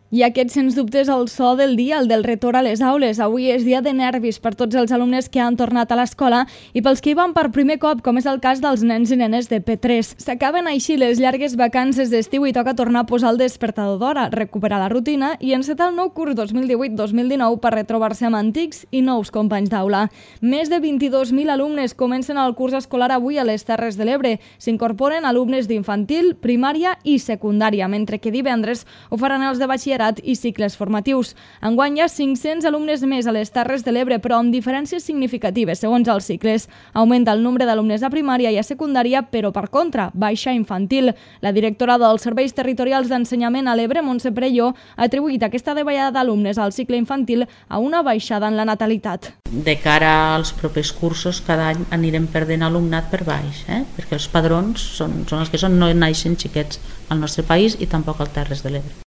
I aquest, sens dubte, és el so del dia, el del retorn a les aules. Avui és dia de nervis per tots els alumnes que han tornat a l'escola i pels que hi van per primer cop, com és el cas dels nens i nenes de P3. S'acaben així les llargues vacances d'estiu i toca tornar a posar el despertador d'hora, recuperar la rutina i encetar el nou curs 2018-2019 per retrobar-se amb antics i nous companys d'aula. Més de 22.000 alumnes comencen el curs escolar avui a les Terres de l'Ebre. S'incorporen alumnes d'infantil, primària i secundària, mentre que divendres ho faran els de batxillerat i cicles formatius. Enguany hi ha 500 alumnes més a les Terres de l'Ebre, però amb diferències significatives segons els cicles. Augmenta el nombre d'alumnes a primària i a secundària, però per contra, baixa infantil. La directora dels Serveis Territorials d'Ensenyament a l'Ebre, Montse Prelló, ha atribuït aquesta davallada d'alumnes al cicle infantil a una baixada en la natalitat. De cara als propers cursos, cada any anirem perdent alumnat per baix, perquè els padrons són els que són, no naixen xiquets al nostre país i tampoc al Terres de l'Ebre.